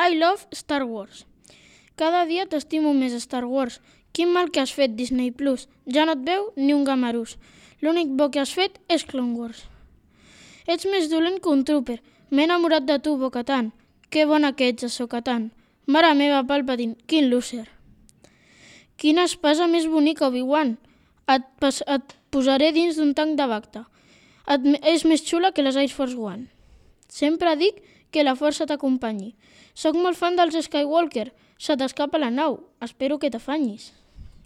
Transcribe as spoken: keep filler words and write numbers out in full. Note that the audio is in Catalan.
I love Star Wars. Cada dia t'estimo més Star Wars. Quin mal que has fet, Disney Plus. Ja no et veu ni un gamarús. L'únic bo que has fet és Clone Wars. Ets més dolent que un trooper. M'he enamorat de tu, Bo-Katan. Que bona que ets, Ahsoka-Tan. Mare meva, Palpatine, quin loser. Quina espasa més bonica, Obi-Wan. Et, pas, et posaré dins d'un tanc de Bacta. Et, és més xula que les Air Force One. Sempre dic que la força t'acompanyi. Soc molt fan dels Skywalker. Se t'escapa la nau. Espero que t'afanyis.